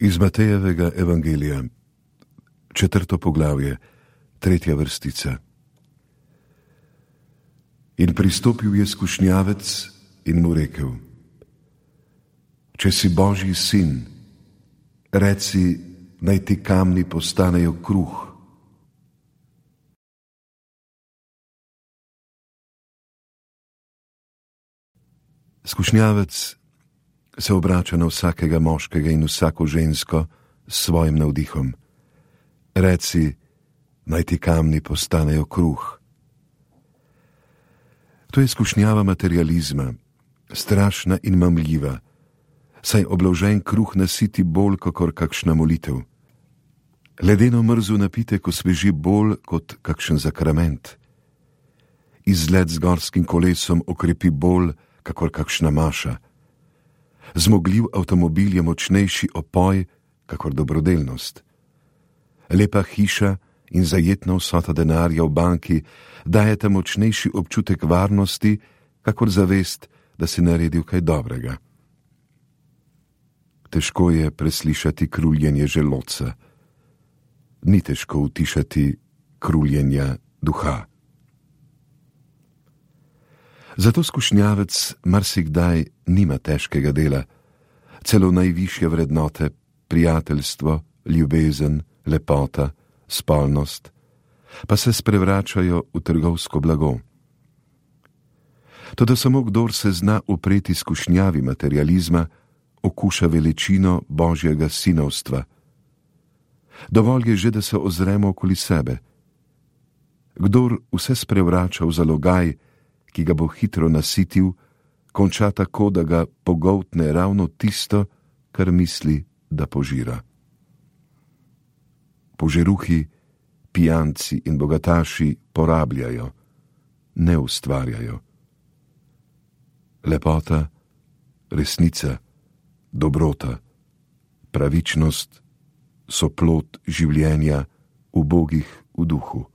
Iz Matejevega evangelija, 4. poglavje, 3. vrstica. In pristopil je skušnjavec in mu rekel: Če si Božji sin, reci, naj ti kamni postanejo kruh. Skušnjavec se obrača na vsakega moškega in vsako žensko s svojim navdihom. Reci, naj ti kamni postanejo kruh. To je skušnjava materializma, strašna in mamljiva, saj obložen kruh nasiti bolj kakor kakšna molitev. Ledeno mrzu napitek osveži bolj kot kakšen zakrament. Izlet z gorskim kolesom okrepi bolj kakor kakšna maša. Zmogljiv avtomobil je močnejši opoj kakor dobrodelnost. Lepa hiša in zajetna vsota denarja v banki dajeta močnejši občutek varnosti kakor zavest, da si naredil kaj dobrega. Težko je preslišati kruljenje želodca. Ni težko utišati kruljenja duha. Zato skušnjavec marsikdaj nima težkega dela, celo najvišje vrednote, prijateljstvo, ljubezen, lepota, spolnost, pa se sprevračajo v trgovsko blago. Toda samo kdor se zna upreti skušnjavi materializma, okuša veličino Božjega sinovstva. Dovolj je že, da se ozremo okoli sebe. Kdor vse sprevrača v zalogaj, ki ga bo hitro nasitil, konča tako, da ga pogoltne ravno tisto, kar misli, da požira. Požeruhi, pijanci in bogataši porabljajo, ne ustvarjajo. Lepota, resnica, dobrota, pravičnost so plod življenja ubogih v duhu.